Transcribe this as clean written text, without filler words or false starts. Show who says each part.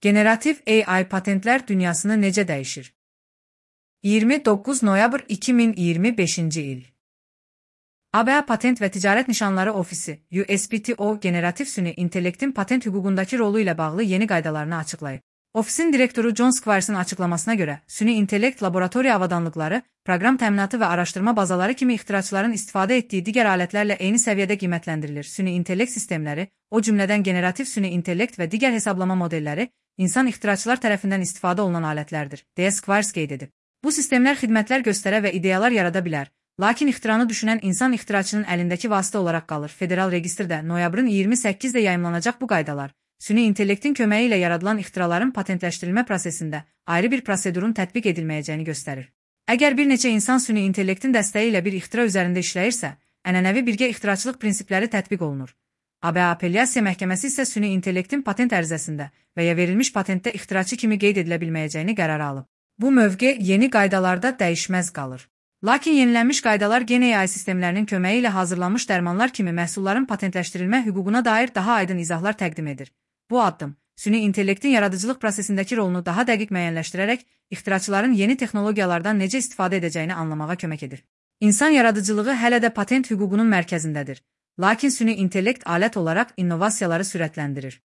Speaker 1: Generativ AI patentlər dünyasını necə dəyişir? 29 noyabr 2025-ci il. ABA Patent və Ticarət Nişanları Ofisi (USPTO) generativ süni intellektin patent hüququndakı rolu ilə bağlı yeni qaydalarını açıqlayıb. Ofisin direktoru John Squiers'ın açıqlamasına görə, süni intellekt laboratoriya avadanlıqları, proqram təminatı və araşdırma bazaları kimi ixtiraçların istifadə etdiyi digər alətlərlə eyni səviyyədə qiymətləndirilir. Süni intellekt sistemləri, o cümlədən generativ süni intellekt və digər hesablama modelləri, insan ixtiraçlar tərəfindən istifadə olunan alətlərdir, deyə Squires qeyd edib. Bu sistemlər xidmətlər göstərə və ideyalar yarada bilər, lakin ixtiranı düşünən insan ixtiraçının əlindəki vasitə olaraq qalır. Federal registrdə noyabrın 28-də yayımlanacaq bu qaydalar, süni intellektin köməyi ilə yaradılan ixtiraların patentləşdirilmə prosesində ayrı bir prosedurun tətbiq edilməyəcəyini göstərir. Əgər bir neçə insan süni intellektin dəstəyi ilə bir ixtira üzərində işləyirsə, ənənəvi birgə ixtiraçılıq prinsipləri tətbiq olunur. ABA Apellyasiya Məhkəməsi isə süni intellektin patent ərizəsində və ya verilmiş patentdə ixtiraçı kimi qeyd edilə bilməyəcəyini qərara alıb. Bu mövqe yeni qaydalarda dəyişməz qalır. Lakin yenilənmiş qaydalar gen AI sistemlərinin köməyi ilə hazırlanmış dərmanlar kimi məhsulların patentləşdirilmə hüququna dair daha aydın izahlar təqdim edir. Bu addım, süni intellektin yaradıcılıq prosesindəki rolunu daha dəqiq müəyyənləşdirərək, ixtiraçıların yeni texnologiyalardan necə istifadə edəcəyini anlamağa kömək edir. İnsan yaradıcılığı hələ də patent hüququnun mərkəzindədir. Lakin süni intellekt alət olaraq innovasiyaları sürətləndirir.